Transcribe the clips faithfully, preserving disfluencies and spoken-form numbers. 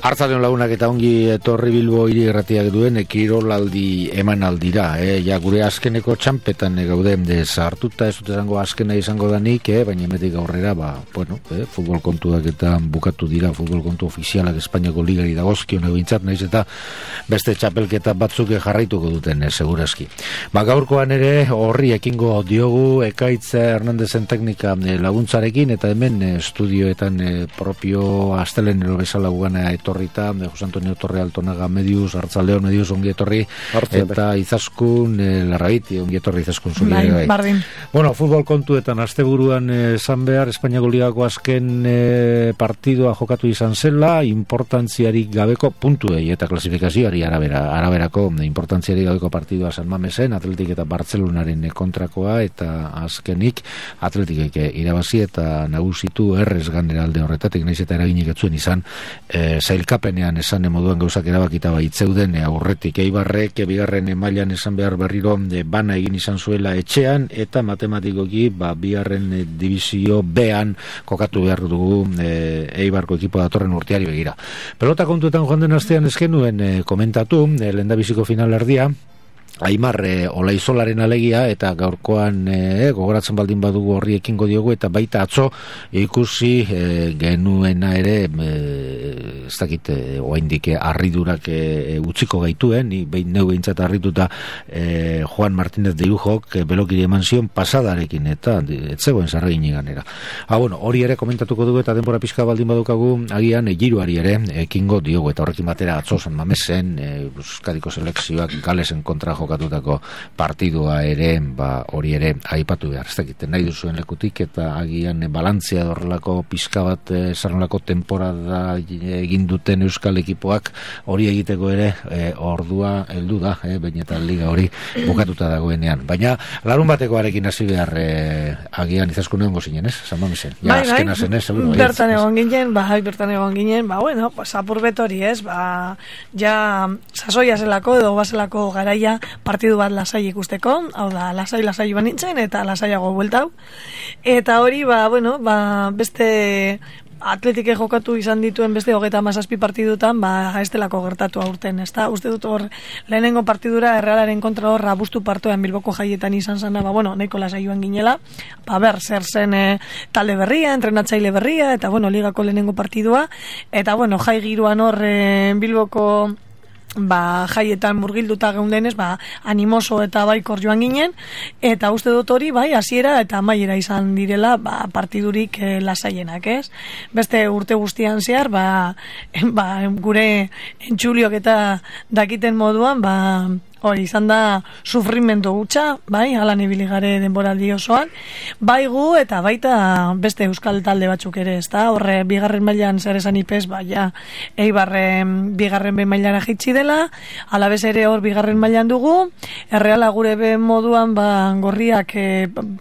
Artzaleon lagunak eta ongi etorri Bilbo hiri irratiak duen kirolaldi emanaldira, eh? Ja, gure azkeneko txampetan gaude dez hartuta, ez dut esango azkena izango danik, eh? Baina emetik aurrera, ba, bueno, eh? futbol kontuak eta bukatu dira, futbol kontu ofizialak Espainiako ligari dagozkion egintzat, nahiz eta beste txapelketa batzuk jarraituko duten, eh, segurazki. Ba, gaurkoan ere horri ekingo diogu Ekaitz Hernandezen teknika laguntzarekin, eta hemen eh, estudioetan eh, propio astelenero bezala gugana etorrita, Jose Antonio Torre Altonaga Medius, Artzaldeon Medius ongi etorri, eta Izaskun eh, Larraiti ongi etorri Izaskun zuri. Bai, bardin. Bueno, futbol kontuetan asteburuan esan eh, behar, Espainiako ligako azken eh, partidua jokatu izan zela, importantziarik gabeko puntuei eta klasifikazioari arabera, araberako importantziarik gabeko partidua San Mamesen, Atletik eta Bartzelonaren kontrakoa, eta azkenik Atletikek irabazi eta nagusitu errez ganera alde horretatik, naiz eta eraginik etzuen izan e, zailkapenean esan moduan gauzak erabakita baitzeuden e, aurretik Eibarrek bigarren mailan esan behar berriro e, bana egin izan zuela etxean, eta matematikoki ba, bigarren e, divizio B-an kokatu behar dugu e, Eibarko ekipo datorren urteari begira. Pelota kontuetan joan den astean eskenuen e, komentatu, e, lehendabiziko final erdia Aimar e, Olaizolaren alegia, eta gaurkoan e, gogoratzen baldin badugu horri ekingo diogu, eta baita atzo ikusi e, genuena ere e, ez dakit e, oaindik harridurak e, utziko gaituen, ni behin neu behintzat harrituta e, Juan Martínez de Ujok e, belokiri eman zion pasadarekin, eta ez zegoen zarregin ganera. Ha, bueno, hori ere komentatuko dugu, eta denbora pixka baldin badukagu agian e, giroari ere ekingo diogu, eta horrekin batera atzo San Mamesen e, Euskadiko selekzioak Galesen kontra jokatutako partidua ere, ba, hori ere aipatu behar, ez dakiten nahi duzuen lekutik, eta agian balantzea horrelako pizka bat zarrelako temporada egin duten euskal ekipoak hori egiteko ere e, ordua heldu da, e, baina eta liga hori bukatuta dagoenean. Baina larun batekoarekin hasi behar e, agian Izaskun egongo zinen, ez? San Mamesen. Ja, bai, azkena zen, ez? Seguro, bertan egon ginen, bai, bertan egon ginen, ba, bueno, pues, apurbet hori, ez? Ba, ja, sasoia zelako, edo bazelako garaia partidu bat lasai ikusteko, hau da, lasai-lasai banintzen, eta lasaiago bueltau. Eta hori, ba, bueno, ba, beste Atletike jokatu izan dituen beste hogeita hamazazpi partidutan, ba, ez delako gertatu aurten, ez da? Uste dut hor, lehenengo partidura Errealaren kontra hor abustu partoan Bilboko jaietan izan zana, ba, bueno, nahiko lasai joan ginela, ba, ber, zer zen e, talde berria, entrenatzaile berria, eta, bueno, ligako lehenengo partidua, eta, bueno, jai giroan hor e, Bilboko ba, jaietan murgilduta geundenez, ba, animoso eta baikor joan ginen, eta uste dut hori, bai, hasiera eta amaiera izan direla, ba, partidurik e, lasaienak, ez? Beste urte guztian zehar, ba, ba, gure entxuliok eta dakiten moduan, ba, hori izan da sufrimendu gutxa, bai, alan ibili gare denboraldi osoan, bai gu eta baita beste euskal talde batzuk ere, ez da, horre bigarren mailan zer esan ipez, bai, ja, Eibarren bigarren be mailara jitsi dela, alabez ere hor bigarren mailan dugu, Erreala gure be moduan, ba, gorriak e,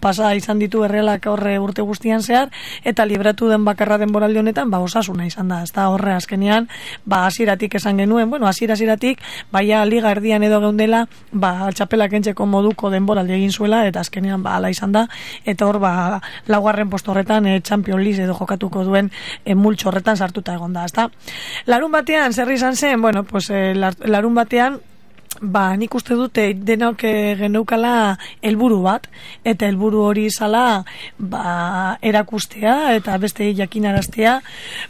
pasa izan ditu Errealak horre urte guztian zehar, eta libratu den bakarra denboraldi honetan, ba, Osasuna izan da, ez da, horre azkenean, ba, hasieratik esan genuen, bueno, hasiera-hasieratik, baia liga erdian edo geunden ba, txapelak entzeko moduko denboraldi egin zuela, eta azkenean ba, ala izan da, eta hor ba, laugarren posto horretan e, Champions League edo jokatuko duen e, multxo horretan sartuta egon da, ezta? Larun batean, zer izan zen, bueno, pues, e, larun batean, ba, nik uste dute denok geneukala helburu bat, eta helburu hori izala ba, erakustea eta beste jakinaraztea,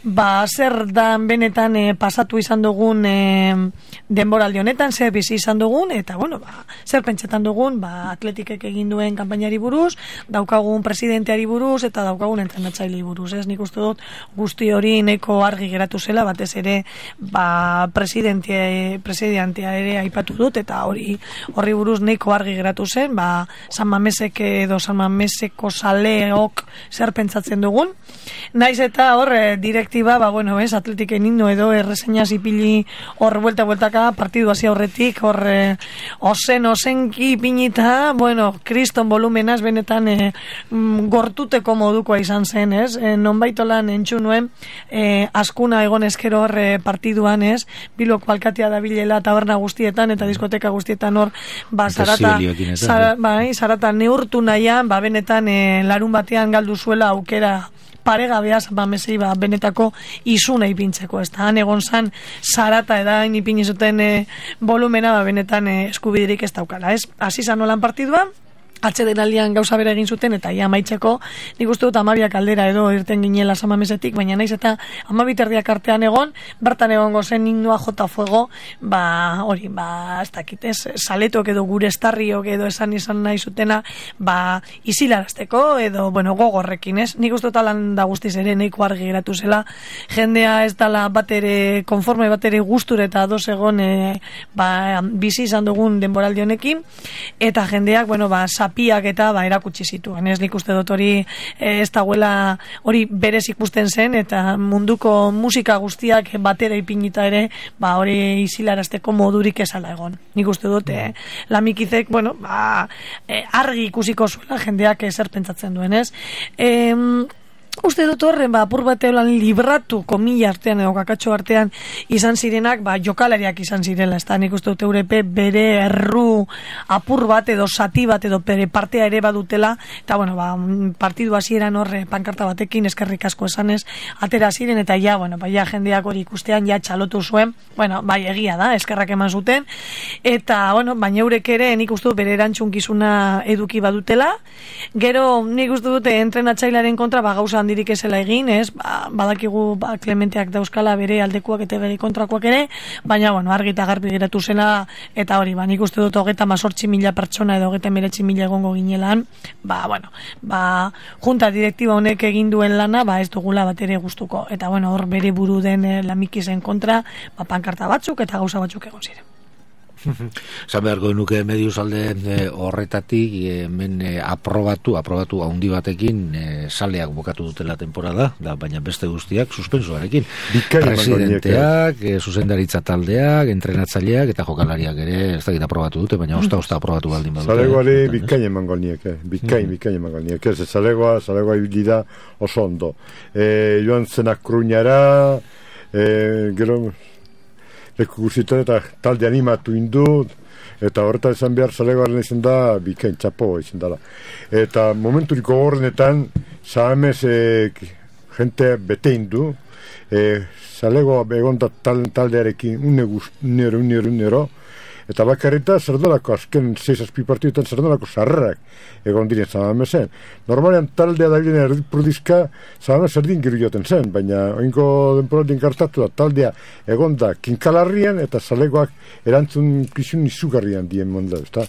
ba, zer dan benetan e, pasatu izan dugun e, denboraldi honetan, zer bizi izan dugun, eta bueno, ba, zer pentsetan dugun, ba, Atletikek egin duen kanpainari buruz, daukagun presidenteari buruz, eta daukagun entrenatzailei buruz, ez? Nik uste dut guzti hori neko argi geratu zela, batez ere ba, presidentea, presidentea ere aipatu dut, eta hori horri buruz neiko argi geratu zen, ba, San Mamesek edo San Mameseko saleok zer pentsatzen dugun. Naiz eta hor, direktiba, ba, bueno, ez, Atletiken indo edo erreseñaz ipili hor buelta-bueltaka, partidu hasi aurretik, hor eh, ozen, ozenki pinita, bueno, kriston volumenaz benetan eh, gortuteko modukoa izan zen, ez? Eh, nonbaitolan entxu nuen, eh, askuna egon eskero hor eh, partiduan, ez? Bilboko alkatea da bilela taberna guztietan, eta diskoteka guztietan hor, ba, zarata, zara, bai, zarata neurtu nahian, ba, benetan e, larun batean galdu zuela aukera paregabea San Mamesei ba, benetako izuna ipintzeko, ez da, han egon zan zarata edain ipini zuten e, volumena ba, benetan e, eskubiderik ez daukala, ez? Hasi zan nolan partidua, atzeden aldian gauza bere egin zuten, eta ia amaitzeko, nik uste dut amabiak aldera edo irten ginela San Mamesetik, baina naiz eta amabiterdiak artean egon, bertan egongo zen himnoa jota fuego, ba, hori, ba, ez dakit, ez, saletok edo gure estarriok edo esan izan nahi zutena, ba, isilarazteko edo, bueno, gogorrekin, ez? Nik uste dut alan da guztiz ere nahiko argi geratu zela, jendea ez dala batere, konforme batere gusture eta ados egon, e, ba, bizi izan dugun denboraldi honekin, eta jendeak, bueno, ba, zapiak eta ba, erakutsi zituen. Ez nik uste dut hori e, ez dagoela hori berez ikusten zen, eta munduko musika guztiak batera ipinita ere, ba, hori isilarazteko modurik esala egon. Nik uste dut, e, Lamikizek, bueno, ba, e, argi ikusiko zuela jendeak zer pentsatzen duen, ez? E, Uste dut horren, ba, apur bateolan libratu komila artean edo kakatxo artean izan zirenak, ba, jokalariak izan zirela, ez da, nik uste dut Eurepe bere erru apur bat edo sati bat edo bere partea ere badutela, eta, bueno, ba, partidu hasieran horre pankarta batekin eskerrik asko esanez, atera ziren, eta ja, bueno, ba, ja, jendeak hori ikustean, ja, txalotu zuen, bueno, bai, egia da, eskerrak eman zuten, eta, bueno, baina eurek ere, nik uste dut bere erantzunkizuna eduki badutela, gero, nik uste dut entrenatzailearen kontra, ba, gauza handirik esela egin, ez, ba, badakigu ba, Klementeak dauzkala bere aldekuak eta bere kontrakoak ere, baina, bueno, argi eta garbi geratu zela, eta hori, ba, nik uste dut hogeita mazortzi mila pertsona edo hogeita meretzi mila egongo ginelan, ba, bueno, ba, junta direktiba honek egin duen lana, ba, ez dugula bat ere gustuko, eta, bueno, hor bere buru den eh, Lamikizen kontra, ba, pankarta batzuk eta gauza batzuk egon ziren. Zan beharko nuke mediuz alde e, horretatik hemen e, aprobatu, aprobatu handi batekin e, saleak bukatu dutela temporada, da, baina beste guztiak suspensuarekin. Presidenteak, e, zuzendaritza taldeak, entrenatzaileak eta jokalariak ere ez dakit aprobatu dute, baina osta-osta aprobatu baldin badute. Zalegoari bikain emango nieke, bikain, bikain emango nieke, ez zalegoa, zalegoa ibilida oso ondo. E, joan zenak kruñara, e, gero leku guztietan eta talde animatu indut, eta horretan izan behar zalegoaren izan da bikain txapo izan dela. Eta momenturiko horrenetan zahamez e, jente bete indu, e, zalego egon da tal, taldearekin une unero, unero, unero, eta bakarrita zerdolako azken seis azpi partiduetan zerdolako sarrerak egon diren Zamamezen. Normalean taldea da giren erdipurdizka Zamamez erdin giru joten zen, baina oinko denporaldien kartatu da taldea egon da kinkalarrian eta zalegoak erantzun kizun izugarrian dien monda, ezta?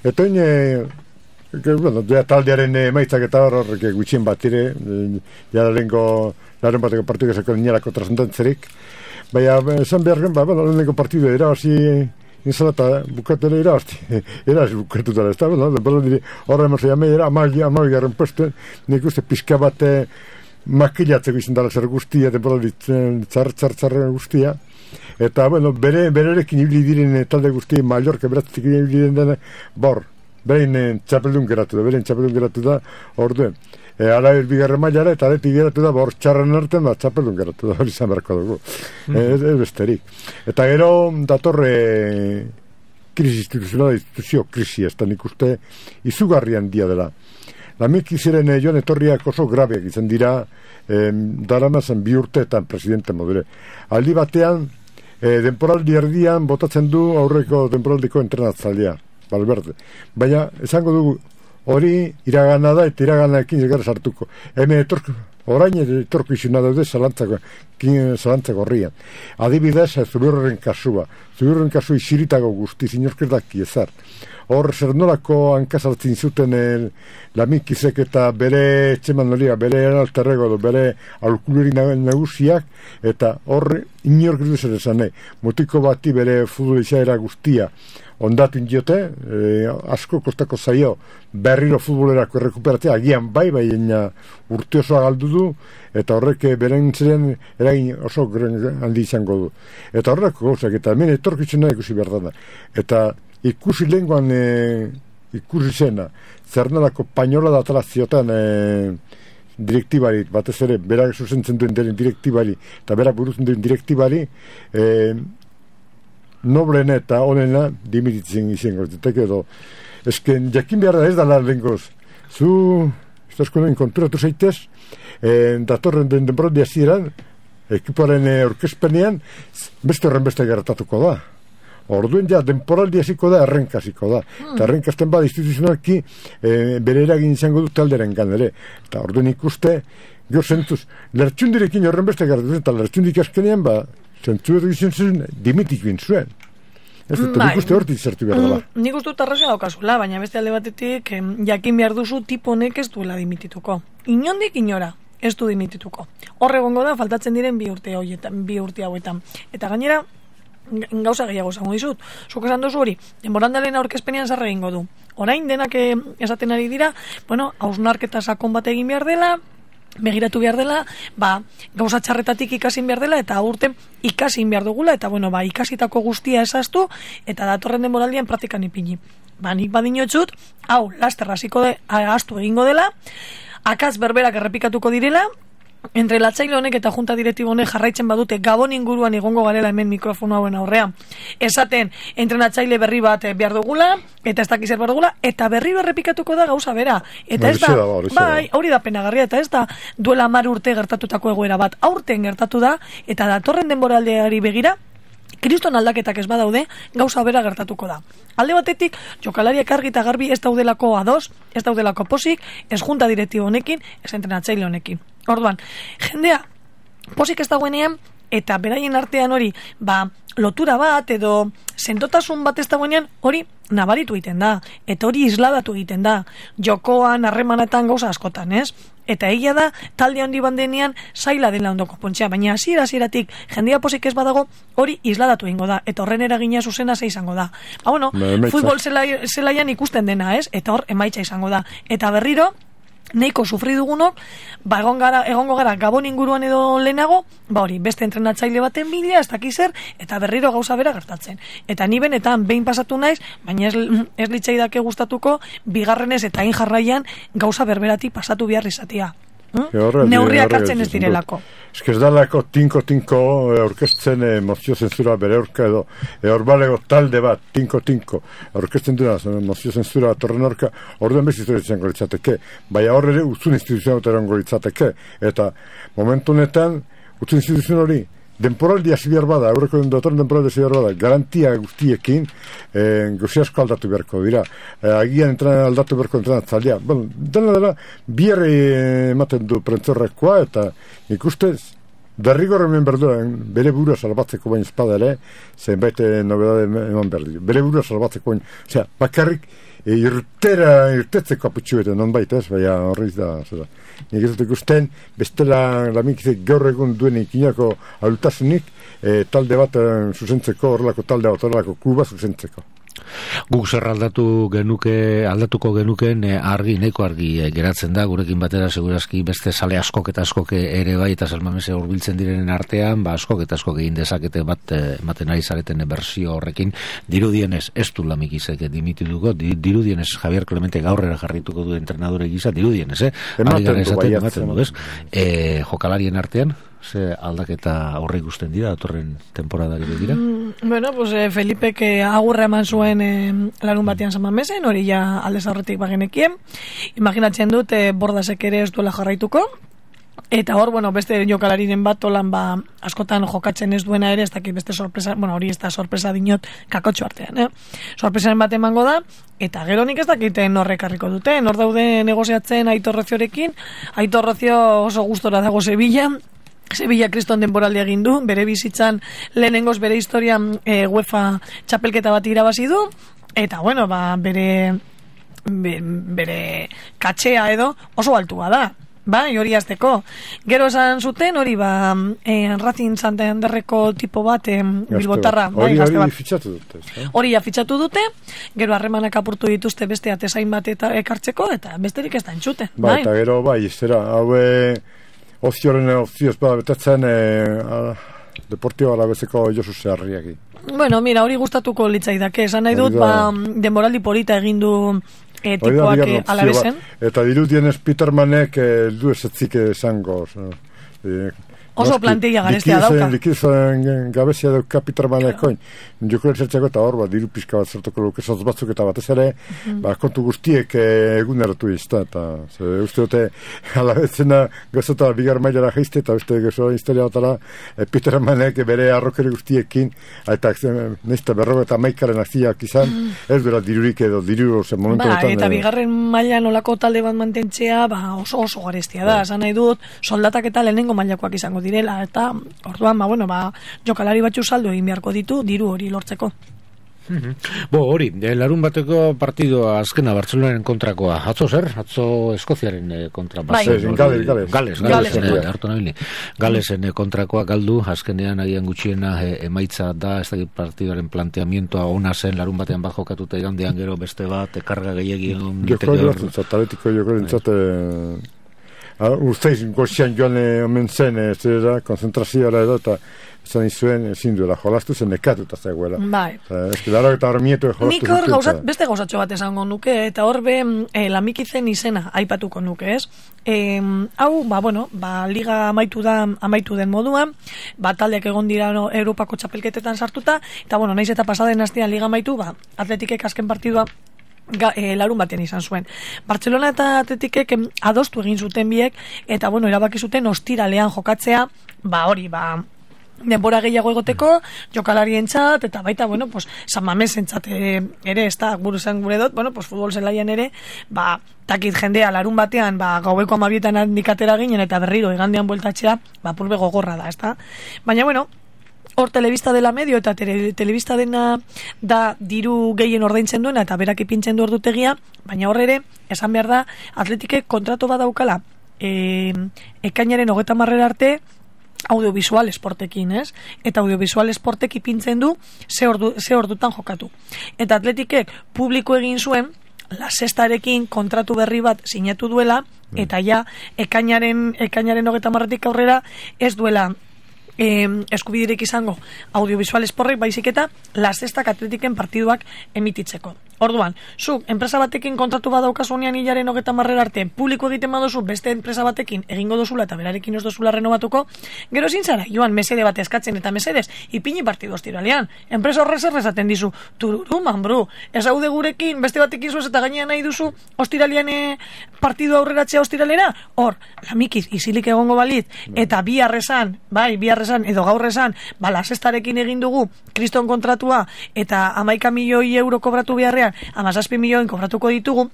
Eta oin, e, bueno, taldearen emaitzak eta horrek gutxien bat ere, ja lehenko laren bateko partidu ezako niarako trascendentzerik, baina esan behar gen, ba, bueno, lehenko partidu erabazi inzalata bukatu ere irazti, eraz bukatu dara, ez da, horre emazio jamei era, amagi, amagi garen puestu, nik uste pixka bat makilatzeko izan dara zer guztia, tzar, tzar, tzar guztia, eta, bueno, bere, bererekin ibili diren talde guztia, Mallorca beratzik ibili diren dena, bor, berein txapeldun geratu da, berein txapeldun geratu da, orduen. E, ara bigarren mailara eta areti geratu da, bor txarren artean da, txapeldun geratu da, hori izan beharko dugu. Mm-hmm. e, ez, ez besterik. Eta gero datorre krisi instituzionala, instituzio krisi, ez da nik uste izugarrian dia dela. Lamikiziren e, joan etorriak oso grabeak izan dira, e, daramazan bi urteetan presidente modure. Aldi batean, e, denporaldi erdian botatzen du aurreko denporaldiko entrenatzalea, Valverde. Baina, esango dugu, hori iragana da eta iraganaekin gara sartuko. Hemen etorko, orain etorko izuna daude zalantzako, zalantzako horrian. Adibidez, Zubirren kasua. Zubirren kasu iziritago guzti, zinorkerdak iezar. Hor, zer nolako hankazaltzin zuten el, Lamikizek eta bere etxeman nolia, bere alterrego, bere alkuluri nagusiak, eta hor, inorkerdu zer esan nahi. Mutiko bati bere futbolizaera guztia ondatu indiote, e, asko kostako zaio berriro futbolerako errekuperatzea, agian bai, bai urte osoa galdu du, eta horrek beren ziren eragin oso handi izango du. Eta horreko gauzak, eta hemen etorkitzena ikusi behar dana. Eta ikusi lehenkoan e, ikusi zena, zernalako painola da atraziotan e, direktibari, batez ere, berak zuzentzen duen deren direktibari, eta berak burutzen duen direktibari, e, noblena eta onena dimititzen izango. Edo, esken, jakin behar da ez da lan lengoz. Zu eskunen konturatu zaitez, e, datorren den denboraldi hasieran, ekipoaren e, orkezpenean, beste horren beste gertatuko da. Orduen ja, denporaldi hasiko da, errenkaziko da. Hmm. Eta errenkazten bada instituzionalki e, bere eragin izango du talderen ganere. Eta orduen ikuste, gero zentuz, lertxundirekin horren beste gertatu zen, eta lertxundik askenean, ba, zentzu edo izan zen, dimitik bintzuen. Ez dut, nik uste hortik zertu behar dela. Mm, nik uste dut arrazia daukazula, baina beste alde batetik eh, jakin behar duzu tipo honek ez duela dimitituko. Inondik inora ez du dimitituko. Horre gongo da, faltatzen diren bi urte hoietan, bi urte hauetan. Eta gainera, gauza gehiago zango dizut. Zuk esan duzu hori, denboraldaren aurkezpenean zarra egingo du. Orain denak esaten ari dira, bueno, hausnarketa sakon bat egin behar dela, begiratu behar dela, ba, gauza txarretatik ikasin behar dela, eta aurten ikasin behar dugula, eta bueno, ba, ikasitako guztia esaztu, eta datorren denboraldian praktikan ipini. Ba, nik badinotxut, hau, laster hasiko de, astu egingo dela, akaz berberak errepikatuko direla, entrelatzaile honek eta junta direktibo honek jarraitzen badute Gabon inguruan egongo garela hemen mikrofono hauen aurrean. Esaten, entrenatzaile berri bat behar dugula, eta ez dakiz behar dugula, eta berri berrepikatuko da gauza bera. Eta ez da, bai, hori da penagarria, eta ez da duela hamar urte gertatutako egoera bat. Aurten gertatu da, eta datorren denboraldeari begira, kriston aldaketak ez badaude, gauza bera gertatuko da. Alde batetik, jokalariak argi eta garbi ez daudelako ados, ez daudelako posik, ez junta direktibo honekin, ez entrenatzaile honekin. Orduan, jendea, posik ez dagoenean, eta beraien artean hori, ba, lotura bat edo sendotasun bat ez dagoenean, hori nabaritu egiten da, eta hori isladatu egiten da, jokoan, harremanetan gauza askotan, ez? Eta egia da, talde handi bandenean zaila dela ondoko pontzea, baina hasiera hasieratik jendea posik ez badago, hori isladatu egingo da, eta horren eragina zuzena ze izango da. Ba, bueno, futbol zelaian ikusten dena, ez? Eta hor, emaitza izango da. Eta berriro, neiko sufri dugunok, ba, egon gara, egongo gara Gabon inguruan edo lehenago, ba hori, beste entrenatzaile baten bila, ez dakiz zer, eta berriro gauza bera gertatzen. Eta ni benetan behin pasatu naiz, baina ez, ez litzaidake gustatuko, bigarrenez eta hain jarraian gauza berberati pasatu behar izatea. Hmm? Neurriak hartzen ez direlako. Ez que ez dalako tinko-tinko orkesten eh, mozio zensura bere orka edo e, orbalego talde bat, tinko-tinko orkesten duna mozio zensura torren orka, orduan bez historietzen goritzateke, baina horre utzun instituzioan oteran goritzateke, eta momentu honetan utzun instituzioan hori denporaldi hasi behar bada, aurreko datorren denporaldi hasi behar bada, garantia guztiekin eh, gozi asko aldatu beharko dira. Eh, agian entran, aldatu beharko entrenatzailea. Bueno, dena dela, biherri ematen du prentzorrekoa, eta ikustez, derrigor hemen berduen, bere burua salbatzeko bain espada ere, zenbait nobedade eman berdi. Bere burua salbatzeko bain, osea, bakarrik, e, irtera, irtetzeko aputxu bete, non baita ez, baina horreiz da, zera. Nik ez dut ikusten, bestela lamikizek gaur egun duen ikinako alutasunik, e, talde bat e, zuzentzeko, horrelako talde bat, horrelako kluba zuzentzeko. Guk zer aldatu genuke, aldatuko genuken e, argi, neko argi e, geratzen da, gurekin batera segurazki beste sale askok eta askok ere bai, eta salmamese hurbiltzen direnen artean, ba askok eta askok egin dezakete bat e, ematen ari zareten bersio horrekin, dirudienez ez du Lamikizek dimitituko, di, dirudienez Javier Clemente gaurrera jarrituko du entrenadore gisa, dirudienez, eh? Ematen du, esaten, ematen du, ez? E, jokalarien artean, ze aldaketa horre ikusten dira, datorren temporadari begira? Mm, bueno, pues eh, Felipek eh, agurra eman zuen eh, larun batean zaman mezen, hori ja aldez aurretik bagenekien. Imaginatzen dut, eh, Bordasek ere ez duela jarraituko, eta hor, bueno, beste jokalariren bat olan ba, askotan jokatzen ez duena ere, ez dakit beste sorpresa, bueno, hori ez da sorpresa dinot kakotxo artean, eh? Sorpresaren bat emango da, eta gero nik ez dakiten horrek harriko duten, hor daude negoziatzen Aitor Roziorekin, Aitor Rozio oso gustora dago Sevilla, Sevilla kriston denboraldi egin du, bere bizitzan lehenengoz bere historian e, UEFA txapelketa bat irabazi du, eta bueno, ba, bere, be, bere katxea edo oso altua da. Ba, hori azteko. Gero esan zuten, hori ba, eh, Racing Santanderreko tipo bat, eh, bilbotarra. Hori bai, hori fitxatu dute. Eh? Hori ja fitxatu dute, gero harremanak apurtu dituzte beste atezain bat eta ekartzeko, eta besterik ez da entzute. Ba, bai, eta gero, bai, zera, haue ozioren ozioz bada betatzen e, deportio alabezeko Josu Zeharriaki. Bueno, mira, hori gustatuko litzaidake, esan nahi dut, ba, denboraldi polita egin du e, tipoak alabezen. Eta dirudienez Petermanek e, du esetzik esango. E, Oso plantilla garestia dauka. Likizoen gabezia duk kapitarmanekoin. Joko zertzeko eta hor, diru pizka bat zertuko luke sotz batzuk eta batez ere, ba, kontu guztiek eguneratu izta, eta uste dute, alabetzena gozota bigar mailara jaizte, eta uste gozoa historia batara, Petermanek bere arrokeri guztiekin, eta nizta berroga eta maikaren akziak izan, ez duela dirurik edo diru zen momentu ba, eta bigarren mailan olako talde bat mantentzea, ba, oso oso garestia da, esan nahi dut, soldatak eta lehenengo mailakoak izango direla, eta orduan, ba, bueno, ba, jokalari batzu saldo egin beharko ditu, diru hori lortzeko. Mm-hmm. Bo, hori, larun bateko partidoa azkena Bartzelonaren kontrakoa, atzo zer? Atzo Eskoziaren kontra. Bai, Gales, Gales. Gales, Gales, Galesen kontrakoa galdu, azkenean agian gutxiena emaitza da, ez dakit partidoaren planteamientoa ona zen, larun batean bat jokatuta igandean gero beste bat, ekarga gehiagion. Joko jortzen, taletiko joko jortzen, usteiz gozian joan omen zen, zera, konzentrazioa edo, eta zan izuen, ezin duela, jolastu zen nekatuta zegoela. Bai. Eski, dara eta hormietu jolastu nik hor gauzat, beste gauzatxo bat esango nuke, eta hor be e, lamikizen izena aipatuko nuke, ez? E, hau, ba, bueno, ba, liga amaitu da, amaitu den moduan, ba, taldeak egon dira no, Europako txapelketetan sartuta, eta, bueno, naiz eta pasaden astean liga amaitu, ba, Atletikek azken partidua Ga, e, larun batean izan zuen. Bartzelona eta Atletikek adostu egin zuten biek, eta bueno, erabaki zuten ostiralean jokatzea, ba hori, ba denbora gehiago egoteko, jokalarientzat, eta baita, bueno, pues, San Mamesentzat ere, ez da, buru zen gure dut, bueno, pues, futbol zelaian ere, ba, takit jendea larun batean, ba, gaueko amabietan handikatera ginen, eta berriro, igandean bueltatzea, ba, purbe gogorra da, ez da. Baina, bueno, hor telebista dela medio eta tele, telebista dena da diru gehien ordaintzen duena eta berak ipintzen du ordutegia, baina hor ere, esan behar da, Atletikek kontratu bat daukala e, ekainaren hogeta marrera arte audiovisual esportekin, ez? Eta audiovisual esportek ipintzen du ze, ordu, ze ordutan jokatu. Eta Atletikek publiko egin zuen La Sextarekin kontratu berri bat sinatu duela, eta ja, ekainaren, ekainaren hogeta marretik aurrera ez duela Eh, eskubidirek izango audiovisual esporrek baizik eta La Sextak Atletiken partiduak emititzeko. Orduan, zuk enpresa batekin kontratu badaukasunean hilaren hogeta marrera arte publiko egiten badozu beste enpresa batekin egingo dozula eta berarekin ez dozula renovatuko, gero ezin zara, joan mesede bat eskatzen eta mesedez, ipini partidu ostiralean. Enpresa horrez errezaten dizu, tururu, manbru, ez haude gurekin, beste batekin zuez eta gainean nahi duzu ostiralean e, partidu aurreratzea ostiralera, hor, lamikiz, isilik egongo balit, eta bi arrezan, bai, bi arrezan, edo gaur esan, ba, La Sextarekin egin dugu, kriston kontratua, eta hamaika milioi euro kobratu beharrean, amazazpi milioen kobratuko ditugu,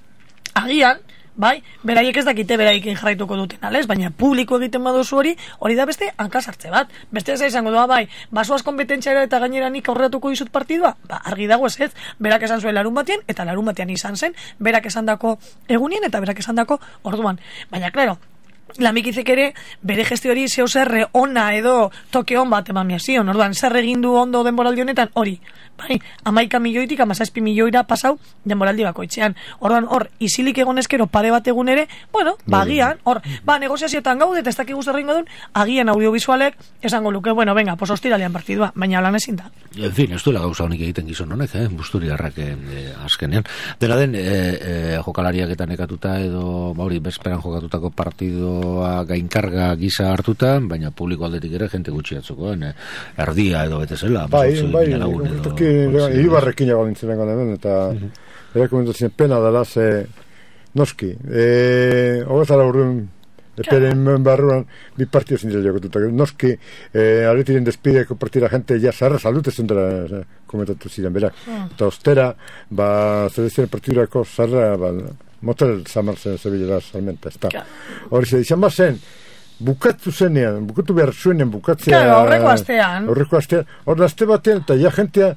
agian, bai, beraiek ez dakite beraikin jarraituko duten, alez, baina publiko egiten baduzu hori, hori da beste hankasartze bat. Beste ez izango doa, bai, basoaz kompetentziara eta gainera nik aurreratuko dizut partidua, ba, argi dago ez ez, berak esan zuen larun batean, eta larun batean izan zen, berak esan dako egunien, eta berak esan dako orduan. Baina, klaro, Lamikizek ere, bere gestio hori zeo zer ona edo toke hon bat emamia zion, orduan, zer egin du ondo denboraldi honetan, hori, bai, amaika milioitik, amazazpi milioira pasau denboraldi bakoitzean. Orduan, hor, isilik egon eskero pare bat egun ere, bueno, ba, agian, hor, ba, negoziazioetan gaude, eta ez dakik guzti errengo duen, agian audiovisualek, esango luke, bueno, venga, pues ostiralean partidua, baina lan ezin da. En fin, ez duela gauza honik egiten gizon honek, eh, busturiarrak eh, azkenean. Dena den, eh, eh, jokalariak eta nekatuta edo, ba, hori, bezperan jokatutako partidoa gainkarga gisa hartuta, baina publiko aldetik ere jente gutxi atzukoen, eh, erdia edo betezela. Bai, bai, Ibarrekin egon nintzen hemen, eta erakomendatzen pena dela, ze noski, e, hogezara urrun eperen barruan bi partio zintzen jokotuta, noski e, arretiren despideko partida gente ja zarra salute zen dela komentatu ziren, berak, eta ostera ba, zedezen partidurako zarra ba, motel zamartzen zebilela salmenta, ez da hori ze, izan bazen bukatu zenean, bukatu behar zuenen bukatzea... Claro, horreko astean. Horreko astean. Horre azte batean, eta ja jentea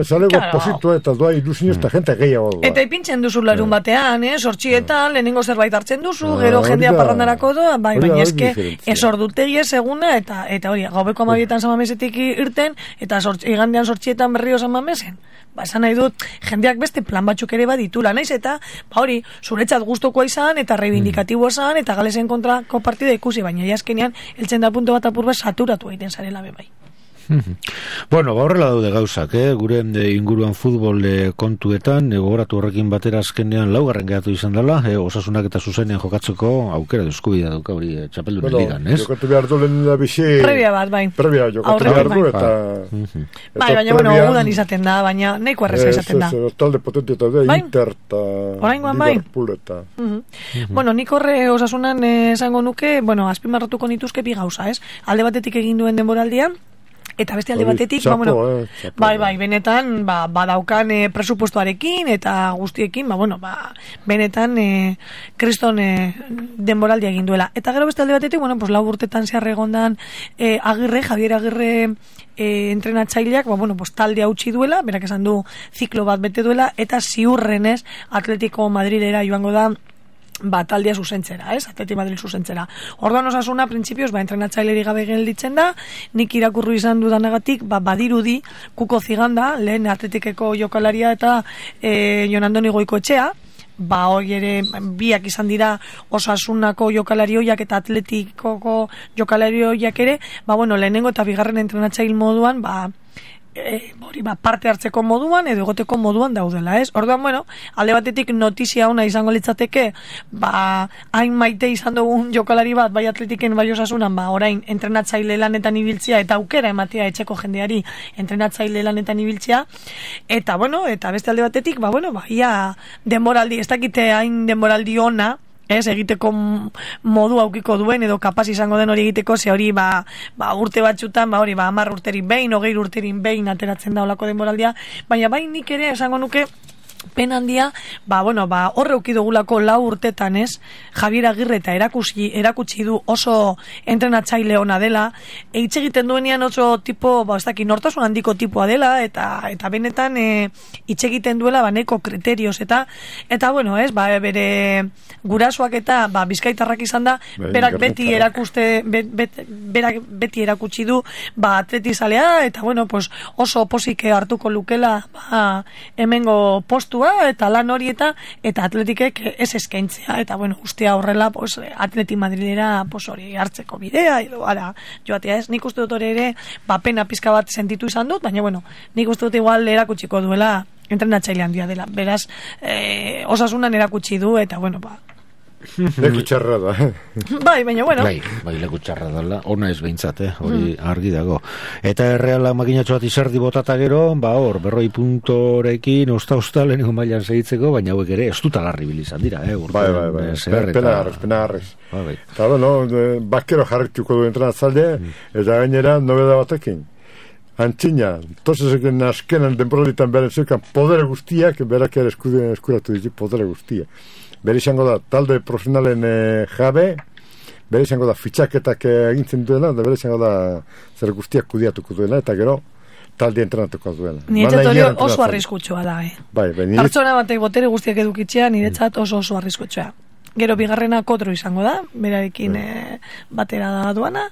zalego claro. Positua eta doa ilusinio eta jente gehiago doa. Eta ipintzen duzu larun batean, eh? Sortxietan, lehenengo zerbait hartzen duzu, gero jendea parrandarako doa, bai, baina eske, ez ordutegi ez eguna, eta eta hori, gaubeko amabietan zamamesetik irten, eta igandean sortxietan berrio zamamesen. Ba, esan nahi dut, jendeak beste plan batzuk ere baditula, naiz, eta, ba hori, zuretzat gustokoa izan, eta reivindikatiboa izan, eta galesen kontrako partida ikusi, baina jaskenean, eltzen da punto bat apurba saturatu egiten zarela be bai. Bueno, ba horrela daude gauzak, eh? Gure inguruan futbol eh, kontuetan, eh, gogoratu horrekin batera azkenean laugarren geratu izan dela, eh, Osasunak eta Zuzenean jokatzeko aukera eskubidea dauka hori eh, txapeldunen bueno, ligan, ez? Jokatu behar du lehen da bizi... Previa bat, bai. Previa jokatu behar du, eta... Bai, baina, bueno, udan izaten da, baina nahiko erreza izaten da. Ez, ez, talde potente eta da, Inter eta... Oraingoan bai? Liverpool eta... Bueno, nik horre Osasunan esango nuke, bueno, azpimarratuko nituzke bi gauza, ez? Alde batetik egin duen denboraldian, eta beste alde batetik, txapo, ba, bueno, eh, txapo, bai, bai, benetan, ba, badaukan e, presupuestoarekin eta guztiekin, ba, bueno, ba, benetan e, kriston e, denboraldia egin duela. Eta gero beste alde batetik, bueno, pues lau urtetan zehar egondan e, Agirre, Javier Agirre e, entrenatzaileak, ba, bueno, pues talde hautsi duela, berak esan du ziklo bat bete duela, eta ziurrenez Atletico Madridera joango da ba, taldea zuzentzera, ez? Atleti Madrid zuzentzera. Orduan Osasuna, printzipioz, ba, entrenatzaileri gabe gelditzen da, nik irakurru izan dudanagatik, ba, badirudi, Kuko Ziganda, lehen Atletikeko jokalaria eta e, Jon Andoni Goikoetxea, ba, hori ere, biak izan dira Osasunako jokalari hoiak eta Atletikoko jokalari hoiak ere, ba, bueno, lehenengo eta bigarren entrenatzail moduan, ba, E, hori, ba, parte hartzeko moduan edo egoteko moduan daudela, ez? Orduan, bueno, alde batetik notizia ona izango litzateke, ba, hain maite izan dugun jokalari bat, bai Atletiken, bai Osasunan, ba, orain entrenatzaile lanetan ibiltzea eta aukera ematea etxeko jendeari entrenatzaile lanetan ibiltzea, eta, bueno, eta beste alde batetik, ba, bueno, ba, ia denboraldi, ez dakite hain denboraldi ona, ez, egiteko modu aukiko duen edo kapaz izango den hori egiteko, ze hori ba, ba urte batzutan, ba hori ba hamar urterin behin, hogei urterin behin ateratzen da olako denboraldia, baina bai nik ere esango nuke pen handia, ba, bueno, ba, horre ukidugulako lau urtetan, ez, Javier Agirre eta erakutsi, erakutsi du oso entrenatzaile ona dela, eitz egiten duenean oso tipo, ba, ez daki, nortasun handiko tipoa dela, eta eta benetan e, hitz egiten duela, ba, neko kriterioz, eta, eta, bueno, ez, ba, bere gurasoak eta, ba, bizkaitarrak izan da, berak beti erakuste, bet, bet, berak beti erakutsi du, ba, atletizalea, eta, bueno, pues, oso posike hartuko lukela, ba, hemengo post eta lan hori eta eta Atletikek ez eskaintzea eta bueno, guztia horrela pues, Atleti Madrilera pues, hori hartzeko bidea edo ara joatea ez, nik uste dut hori ere ba, pena pizka bat sentitu izan dut, baina bueno, nik uste dut igual erakutsiko duela entrenatzaile handia dela, beraz eh, Osasunan erakutsi du eta bueno, ba leku txarra da. Bai, baina bueno. Bai, bai, leku txarra da, ona ez behintzat, eh? Hori mm. argi dago. Eta erreala makinatxo bat izerdi botata gero, ba hor, berroi puntorekin, osta-osta lehenengo mailan segitzeko, baina hauek ere, ez dut alarri bilizan dira, eh? Urten, bai, bai, bai, eh, pena harrez, pena harrez. Bai, bai. Eta, bueno, bakero jarrituko du entrenatzalde, mm. eta gainera, nobeda batekin. Antzina, tosezeken askenan denporalitan beren zeukan podere guztiak, berak ere eskuratu ditu podere guztiak. Bere izango da talde profesionalen e, jabe, bere izango da fitxaketak egintzen duela, da bere izango da zer guztiak kudiatuko duela, eta gero talde entrenatuko duela. Niretzat hori oso arriskutsua da, eh? Bai, bai, niretzat... Pertsona batek botere guztiak edukitzea, niretzat oso oso arriskutsua. Gero bigarrena Kodro izango da, berarekin e, batera da duana,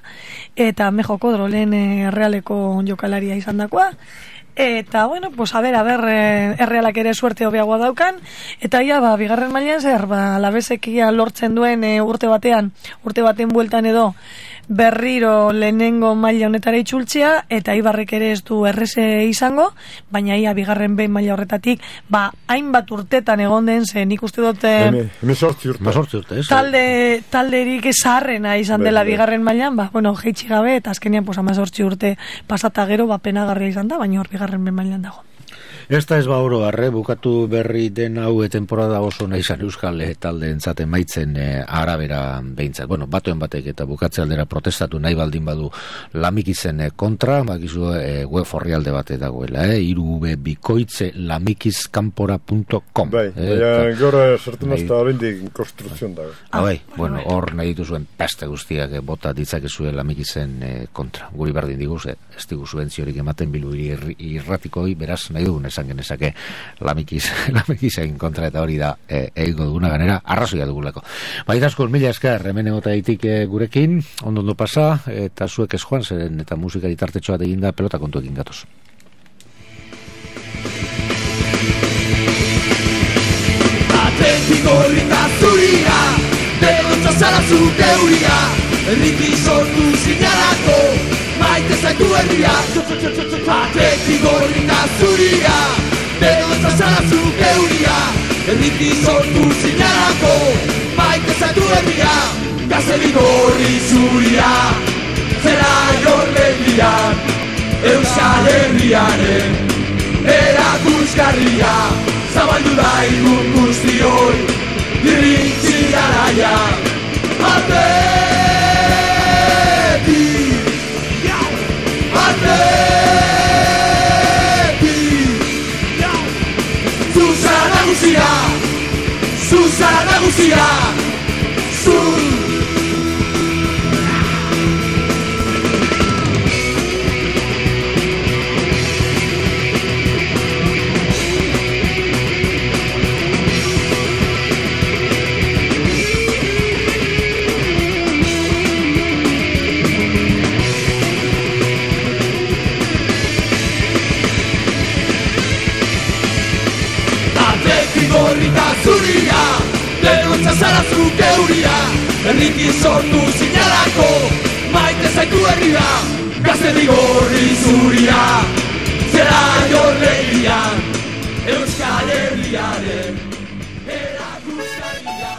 eta Mejo Kodro lehen errealeko jokalaria izan dakoa, eta, bueno, pues a ver, a ver, errealak ere suerte hobeagoa daukan, eta ia, ba, bigarren mailan zer, ba, labezekia lortzen duen e, urte batean, urte baten bueltan edo, berriro lehenengo maila honetara itzultzea, eta Ibarrek ere ez du erreze izango, baina ia bigarren behin maila horretatik, ba, hainbat urtetan egon den, ze nik uste dut emezortzi urte, talde, talderik zaharrena izan dela bigarren mailan, ba, bueno, jeitsi gabe, eta azkenean, pues, amazortzi urte pasata gero, ba, penagarria izan da, baina hor bigarren behin mailan dago. Esta ez ba oro arre, bukatu berri den hau temporada oso nahi zan euskal talde entzaten maitzen e, arabera behintzat. Bueno, batuen batek eta bukatze aldera protestatu nahi baldin badu lamikizen e, kontra, bakizu e, web orrialde bate dagoela, eh? irube bikoitze lamikizkanpora punto com. Bai, eh, baina gora sartu nazta horindik konstruzion dago. Ah, bai, bueno, hor nahi dituzuen peste guztiak e, bota ditzakezue lamikizen e, kontra. Guri berdin diguz, e, ez digu subentziorik ematen bilu irratikoi, beraz nahi dugun esan genezake lamikiz, lamikizen kontra eta hori da e, egingo duguna ganera arrazoia dugulako. Baita asko, mila esker, hemen egota ditik e, gurekin, ondo ondo pasa, eta zuek ez joan, zeren eta musika ditartetxoa eginda pelota kontuekin gatoz. Atletico rita zuria, derontza zara zu geuria, erriki sortu zinarako, maite zaitu herria, atleti gorrita zuria, denontzat zara zuk euria, herriki sortu zinarako, maite zaitu herria, gaztedi gorri zuria, zera jorlegian, Euskal Herriaren erakusgarria, zabaldu da igun guztioi, irrintzi garaia, atleti, atleti, zuzara nagusia, zuzara nagusia, zu. Gorrita zuria, denontzat zara zuk euria, herriki sortu zinalako, maite zaitu herria, gaztedi gorri zuria, zera jorlegian, Euskal Herriaren erakusgarria.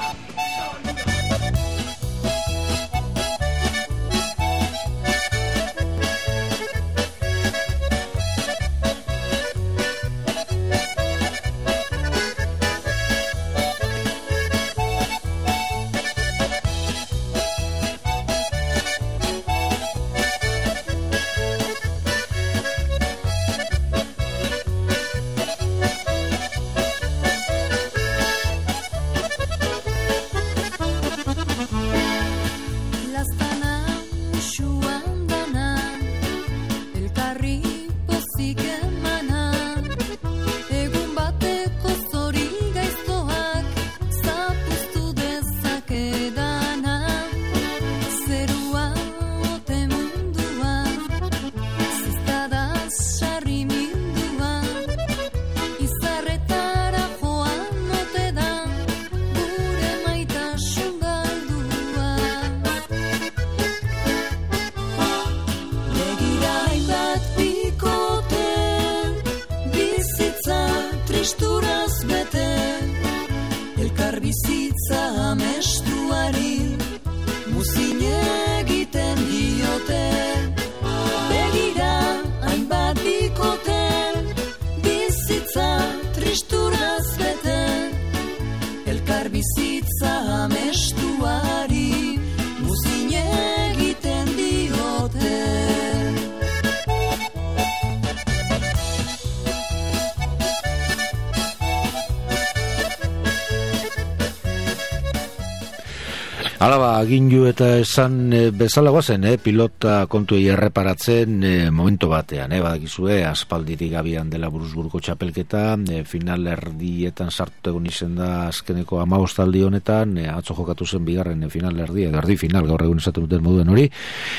Alaba, agindu eta esan e, bezala guazen, eh, pilota kontuei erreparatzen e, momentu batean, eh, badakizue, aspalditik abian dela Buruzburgo txapelketa, e, final erdietan sartu egun izen da azkeneko hamabostaldi honetan, e, atzo jokatu zen bigarren e, final erdi, edo erdi final gaur egun esaten duten moduen hori,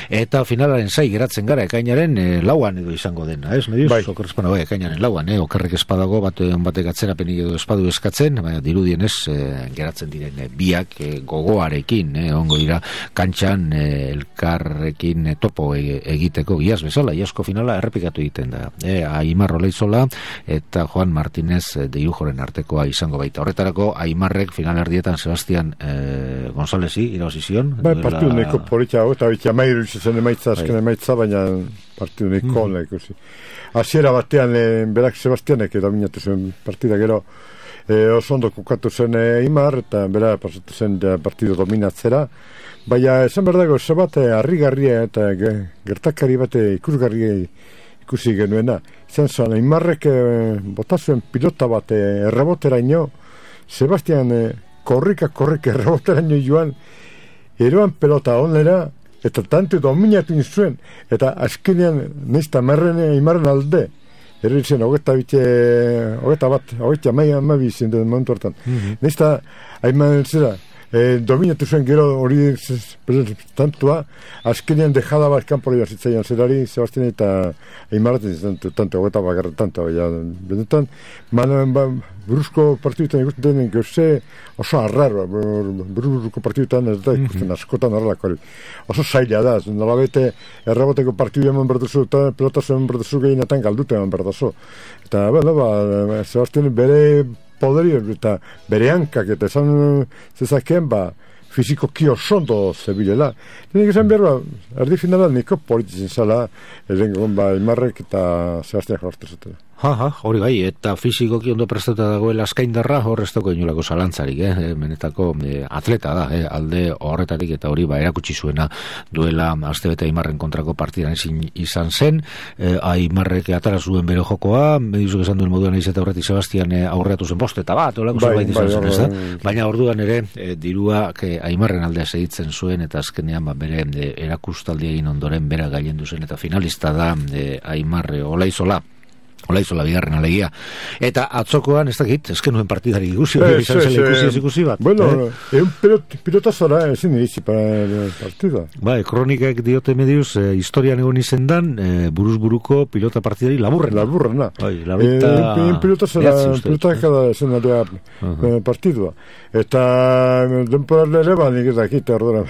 eta finalaren zai geratzen gara, ekainaren e, lauan edo izango dena, ez, mediuz? Bai. Okerrezpana, bai, ekainaren lauan, eh, okerrek espadago, bat, batek atzerapenik edo espadu eskatzen, baina dirudien ez, e, geratzen diren e, biak e, gogoarekin, Eh, ongo dira kantxan eh, elkarrekin eh, topo e, egiteko giaz bezala, iasko finala errepikatu egiten da eh, Aimar Oleizola eta Juan Martínez eh, de Iujoren artekoa izango baita, horretarako Aimarrek final erdietan Sebastián eh, Gonzálezi irabazizion bai, partidu neko polita eta bitia mairu izazen emaitza, azken emaitza, baina partidu neko mm. ikusi hasiera batean eh, berak Sebastianek dominatu zen partida gero E, oso ondo kokatu zen e, Imar eta bera pasatu zen de, partido dominatzera, baina esan berdago ze bat harrigarria eta ge, gertakari bat ikusgarria ikusi genuena izan zuen, Imarrek e, botazuen pilota bat e, erreboteraino Sebastian e, korrika korrika erreboteraino joan eroan pelota onera eta tanto dominatu zuen eta azkenean nizta merren Imarren alde erritzen, hogeta bite, hogeta bat, hogeta maia amabi zindu momentu hartan. Mm-hmm. Nesta, haiman zera, e, dominatu zuen gero hori tantua, azkenean dejada bat kanpo hori zitzaian zerari, Sebastian eta Aimarraten izan tanto, eta bakarra tanto, ja, benetan, manen, ba, buruzko partiduetan ikusten denen gauze oso arraro, buruzko partiduetan ez da ikusten askotan horrelako hori. Oso zaila da, nola bete erraboteko partidu eman berduzu, eta pelotazu eman berduzu gehienetan galdute eman berdazu. Eta, bueno, ba, Sebastian bere poderi eta bere hankak eta esan zezakeen, ba, fizikoki oso ondo zebilela. Nik esan behar, ba, erdi finalan niko politizen zala, erengon, ba, Aimarrek eta Sebastian jorte zutela. Ha, ha, hori bai, eta fizikoki ondo prestatuta dagoela eskaindarra horreztoko inolako zalantzarik, eh? Benetako eh, atleta da, eh? Alde horretarik eta hori ba, erakutsi zuena duela astebete Aimarren kontrako partidan ezin izan zen, eh, Aimarrek atara zuen bere jokoa, medizuk esan duen moduan eiz eta horretik Sebastian eh, aurreatu zen bost eta bat, olako bai, zerbait izan bai, zen, bai, ez da? bai. Baina orduan ere, eh, dirua eh, Aimarren aldea segitzen zuen eta azkenean ba, bere eh, erakustaldi egin ondoren bera gailendu zen eta finalista da eh, Aimarre Olaizola. Olaizola bigarren alegia. Eta atzokoan, ez dakit, ezken nuen partidari ikusi, Eh, izan sí, zela sí. ikusi ez ikusi bat. Bueno, eh? eh? un pilot, pilota zora ezin iritsi para el partido. Ba, kronikek diote mediuz, eh, historian egon izen dan, eh, buruz buruko pilota partidari laburren. Laburrena. Bai, labita... Eh, un pilota zora, pilota kada zen aldea Uh-huh. partidua. Eta denporale ere ba, nik ez dakit, ordura.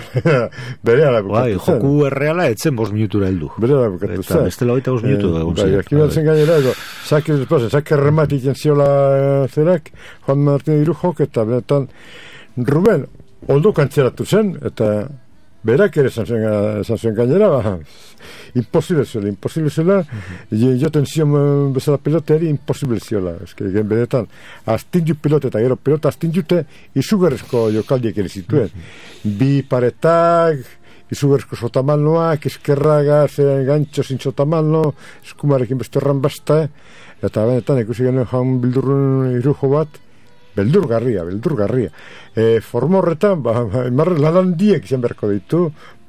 Bere ala Bai, bukatu zen. joku erreala etzen bost minutura heldu. Bere ala bukatu Eta zen. bestela hogeita bost minutu egon Bai, ziren. aquí batzen gainera, edo, sake después, sake remate egiten ziola eh, zerak, Juan Martín Irujok, eta benetan, Ruben, ondo kantzeratu zen, eta berak ere esan zuen, esan zuen gainera, ba, imposible ziola, imposible ziola, uh-huh. joten zion eh, bezala peloteari, imposible ziola, eske, gen benetan, astindu pilote, eta gero pilota astinjute, izugarrezko jokaldiek ere zituen, uh-huh. bi paretak, izugarrezko sotamanoak, eskerraga, zen gantxo zin sotamano, eskumarekin beste erran basta, eta benetan ikusi genuen jaun bildurrun Irujo bat, beldurgarria, beldurgarria. E, forma horretan, ba, Aimarre lan handiek izan beharko ditu,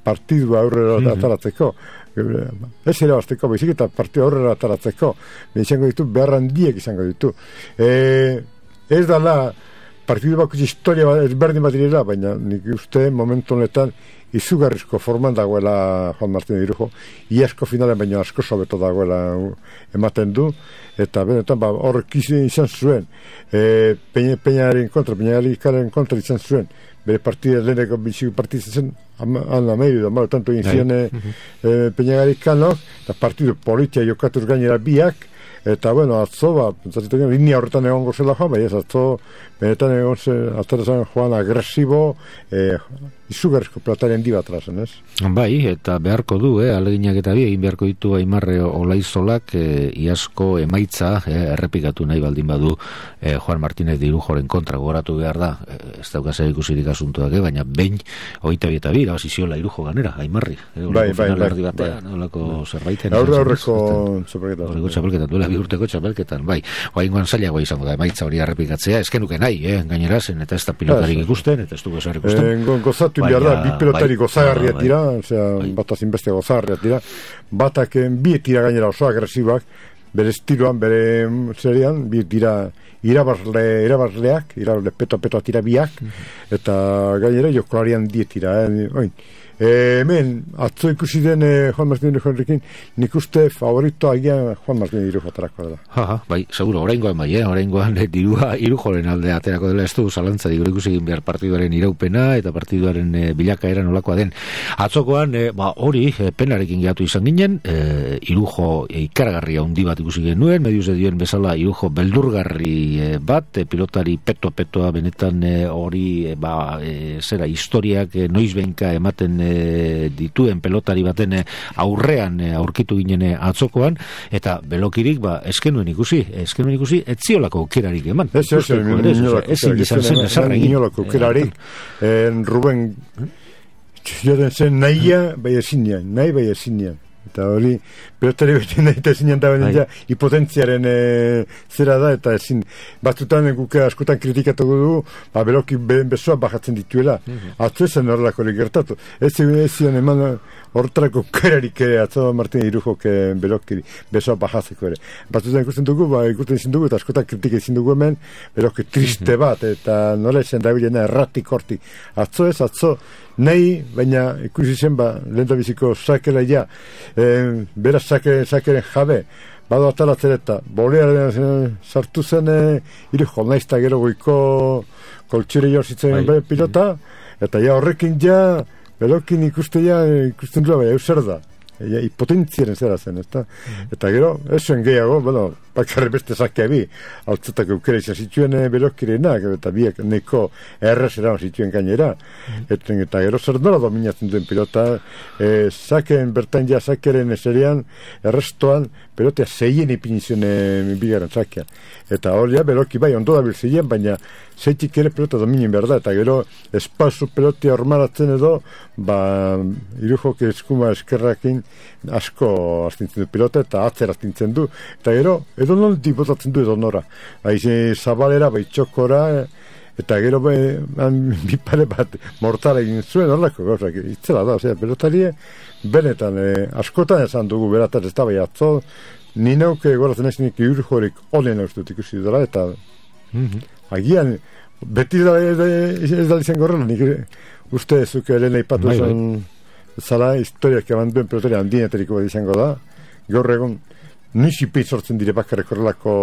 partidua aurrera mm-hmm. ataratzeko. Ez irabazteko, baizik eta partidu aurrera ataratzeko. Izango ditu, behar handiek izango ditu. E, ez dala, partidu bakutsi historia ezberdin bat direla, baina nik uste momentu honetan izugarrizko forman dagoela Juan Martín Irujo, iasko finalen baino asko sobeto dagoela ematen du, eta benetan ba, horrek izan zuen, e, peña, peñaren kontra, peñaren kontra izan zuen, bere partida leheneko bitxiko partida zen, han ameiru da, malo tanto egin ziren e, e, peñagarikano, eta partidu politia jokatuz gainera biak, eta bueno, atzo, ba, pentsatzen linea horretan egon gozela joan, bai ez, atzo, benetan egon zen, atzarazan joan agresibo, e, izugarrizko plataren di bat razen, ez? Bai, eta beharko du, eh, aleginak eta bi, egin beharko ditu Aimarre Olaizolak, eh, iazko emaitza, eh, errepikatu nahi baldin badu, eh, Juan Martínez de Irujoren kontra gogoratu behar da, eh, ez dauka zer ikusirik asuntuak, eh, baina behin, hogeita bi eta bi, irabaziziola Irujo ganera, Aimarri. Eh, bai, bai, bai. Batean, bai. Olako zerbaiten. Aurre aurreko txapelketan. Aurreko txapelketan, duela bi urteko txapelketan, bai. Oaingoan zailagoa izango da, emaitza hori errepikatzea, eskenuke nahi, eh, gainera zen, eta ez da pilotarik ikusten, eta ez dugu zer ikusten. Eh, gozatu behar da, bi pelotari bai, gozagarriak dira, osea, bai. Bataz inbeste gozagarriak dira, batak bi tira gainera oso agresibak, bere estiloan, bere serian, bi tira irabazle, irabazleak, irabazle peto-peto tira biak, mm-hmm. eta gainera jokolarian die tira, eh, oin. E, hemen, atzo ikusi den eh, Juan Martín Irujorekin, nik uste favorito agian Juan Martín Irujo aterako dela. Ha, ha, bai, seguro, oraingoan bai, eh? oraingoan eh, dirua Irujoren alde aterako dela, ez du zalantza digure ikusi egin behar partiduaren iraupena eta partiduaren eh, bilakaera nolakoa den. Atzokoan, eh, ba, hori, eh, penarekin gehatu izan ginen, eh, Irujo eh, ikaragarria handi bat ikusi genuen, mediuz edioen bezala Irujo beldurgarri eh, bat, eh, pilotari peto-petoa benetan eh, hori, eh, ba, eh, zera, historiak eh, noizbenka ematen eh, dituen pelotari baten aurrean aurkitu ginen atzokoan, eta belokirik ba, eskenuen ikusi, eskenuen ikusi etziolako aukerarik eman. Ez, ez, ezin izan zen esarra egin. Inolako aukerarik, Ruben joden zen nahia, bai ezinean, nahi bai ezinean. Eta hori, pelotari beti nahi eta ezin da benen ja, hipotentziaren e, zera da, eta ezin, batzutan guke askotan kritikatuko dugu, ba, beloki be, besoa bajatzen dituela. Mm-hmm. Atzo esan horrelako hori gertatu. Ez zion eman horretarako kerarik ere, atzo Martin Irujok beloki besoa bajatzeko ere. Batzutan ikusten dugu, ba, ikusten ezin dugu, eta askotan kritika ezin dugu hemen, beloki triste bat, eta nola esan da bilena erratik hortik. Atzo ez, atzo, nahi, baina ikusi zen, ba, lehen da biziko sakela ja, e, bera sake, sakeren jabe, bado atalatzen eta bolearen sartu zen e, Irujo, naizta gero goiko koltsire jorzitzen bai. Pilota, eta ja horrekin ja, belokin ikuste ja, ikusten duela, bai, euser da. Ja, hipotentziaren zera zen, eta, mm. eta gero, esoen gehiago, bueno, bakarri beste sakea bi, altzetak eukera izan zituen belokirenak, eta biak neko errezera zituen gainera, mm. eta, eta gero zer nola dominatzen duen pilota, e, sakeen bertan ja sakeren eserian, errestoan, pelotea zeien ipinizion bigaren sakea. Eta hori ja, beloki bai, ondo da bilzeien, baina zeitik ere pelota dominin behar da, eta gero espazu pelotea hormaratzen edo, ba, Irujok eskuma eskerrakin asko astintzen du pilota, eta atzer astintzen du, eta gero, edo non dibotatzen du edo nora. Bai, zabalera, bai txokora, eta gero bai, bi pare bat mortara egin zuen horrelako gauzak, itzela da, ozera, pelotarie, benetan, eh, askotan esan dugu berataz ez da bai atzo, ni nauke goratzen ez nik Irujorik onen haustut ikusi dara, eta mm-hmm. agian, beti da, ez, ez da izan gorrela, nik uste zuke helena ipatu zen zala, historiak eman duen pelotari handienetariko bat izango da, gaur egon, nixipit sortzen dire bakarrik horrelako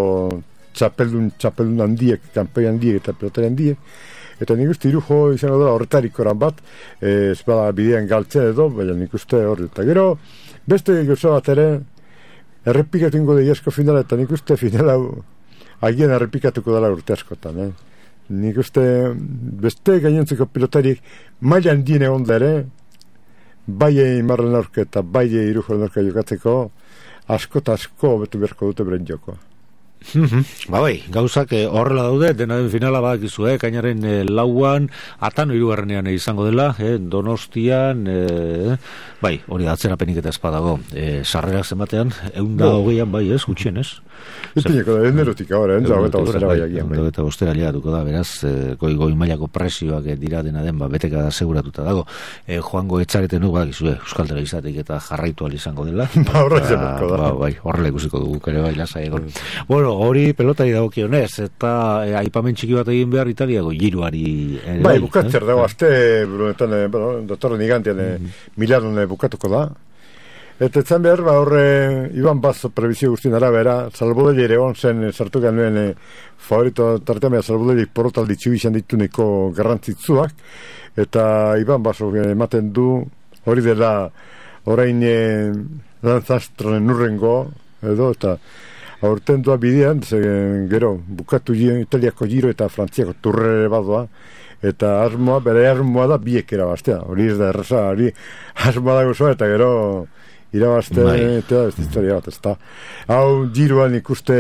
txapeldun, txapeldun handiek, kanpoi handiek eta pelotari handiek, eta nik uste Irujo izango da horretarik oran bat, ez bada bidean galtzen edo, baina nik uste horri, eta gero, beste gauza bat ere, errepikatu ingo da iasko finala, eta nik uste finala agian errepikatuko dela urte askotan, eh? Nik uste beste gainontzeko pilotariek maila handien egon da ere, bai Imarren aurke eta bai Irujoren aurke jokatzeko, asko eta asko betu beharko dute beren jokoa. Ba bai, gauzak horrela daude, dena den finala badakizu, eh? Kainaren eh, lauan, atano hirugarrenean izango dela, eh? Donostian, eh? bai, hori da atzerapenik eta espadago, eh, sarrerak zenbatean, eunda hogeian bai ez, gutxien ez? Ipineko da, enerotik ahora, enza, eta bostera bai agian. Eta bostera liatuko da, beraz, eh, goi goi mailako presioak dira dena den, ba, beteka da seguratuta dago. Eh, joango etzareten nu, badakizu, eh? Euskaldera izatik eta jarraitu izango dela. Ba, horrela izango da. Ba, bai, horrela ikusiko dugu, kare bai, lasa egon. Bueno, hori pelotari dagokionez, eta e, aipamen txiki bat egin behar Italiako giroari. E, bai, bukatzer dago, azte, brunetan, e, bueno, datorren igantean, mm-hmm. e, Milanon bukatuko da. Eta etzan behar, ba, horre, Iban Bazo prebizio guztien arabera, Salbodeli ere on zen, sartu genuen e, favorito tarteamea Salbodeli porotaldi txibizan dituneko garrantzitzuak, eta Iban Bazo ematen du, hori dela, orain e, lanzastronen nurrengo, edo, eta aurten doa bidean, ze, gero, bukatu Italiako giro eta Frantziako turrere badoa, eta asmoa, bere asmoa da biek erabaztea, hori ez da erraza, hori asmoa da gozoa, eta gero irabazte, eta ez historia bat, ez da. Hau giroan ikuste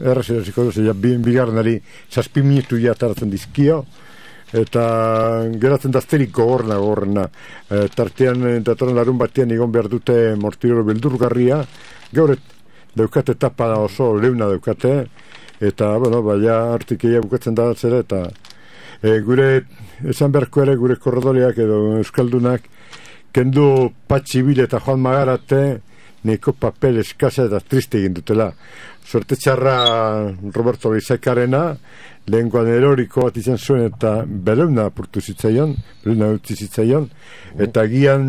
errazerasiko duz, ja, bigarrenari zazpi minutu ja taratzen dizkio, eta geratzen dazterik gogorna, gogorna. E, tartean, datorren larun batean egon behar dute mortirolo beldurgarria, gaur daukate etapa oso leuna daukate, eta, bueno, baina artikeia bukatzen da zera, eta e, gure, esan beharko ere, gure korredoriak edo euskaldunak, kendu Patxibil eta Juan Magarate, neko papel eskasa eta triste egin dutela. Suerte txarra Roberto Bizakarena, lehenkoan eroriko bat izan zuen, eta beleuna apurtu zitzaion, beleuna utzi zitzaion, eta gian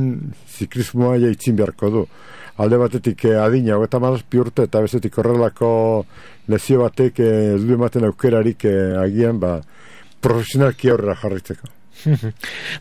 ziklismoa jaitzin beharko du. Alde batetik eh, adina, eta mazazpi urte, eta bezetik horrelako lezio batek ez eh, du ematen aukerarik eh, agian, ba, profesionalki aurrera jarritzeko.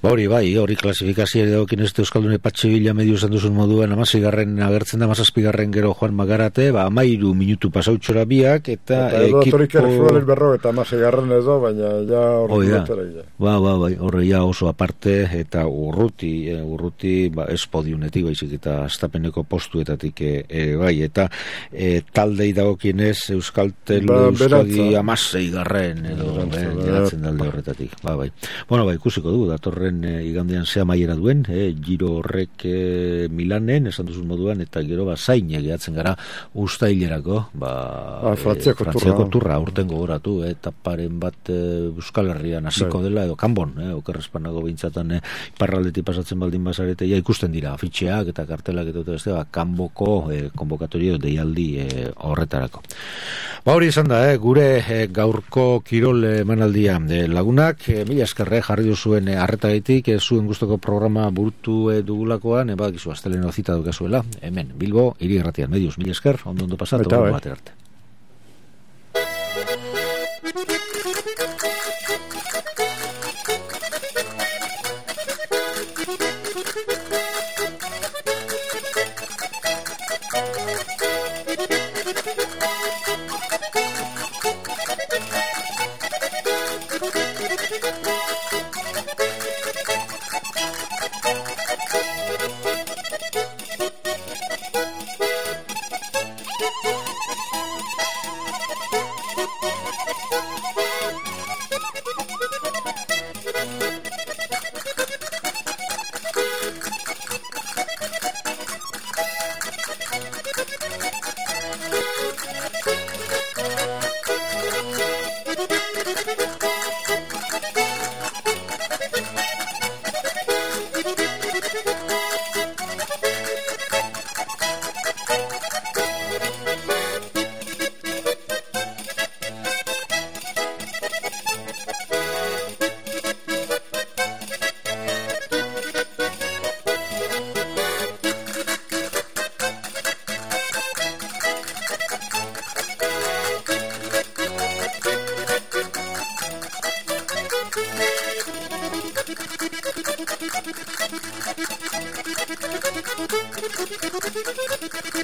Ba hori bai, hori klasifikazioa dagokin ez Euskaldune Patxibila medio esan duzun moduan amazigarren agertzen da, amazazpigarren gero Juan Magarate, ba amairu minutu pasautxora biak, eta, eta edo torik erfuaren berro eta amazigarren edo, baina ja horri dutera ja. Ba, ba, bai, horre ja oso aparte, eta urruti, eh, urruti, ba, ez podiunetik, baizik, eta astapeneko postuetatik eh, bai, eta eh, taldei dagokin ez Euskaltel ba, Euskadi amazeigarren edo, geratzen dalde horretatik, ba, bai. Bueno, bai, ikusiko dugu, datorren e, igandean zea maiera duen, e, giro horrek e, Milanen, esan duzun moduan, eta gero ba, zain egeatzen gara ustailerako, ba, ah, Frantziako, e, Frantziako turra, urten gogoratu, e, etaparen bat e, Euskal Herrian hasiko bai. Dela, edo kanbon, e, okerrezpanago bintzatan e, iparraldetik pasatzen baldin bazarete, ja ikusten dira, afitxeak eta kartelak eta beste, ba, kanboko e, konbokatorio deialdi e, horretarako. Ba hori izan da, eh, gure eh, gaurko kirol emanaldia eh, lagunak, eh, mila eskerre jarri duzuen eh, arretagaitik, eh, zuen gustoko programa burutu eh, dugulakoan, eh, badakizu asteleno zita dukazuela, hemen, Bilbo, hiri erratian, medius, mila esker, ondo ondo pasat, ondo eh. batera arte. Thank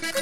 you.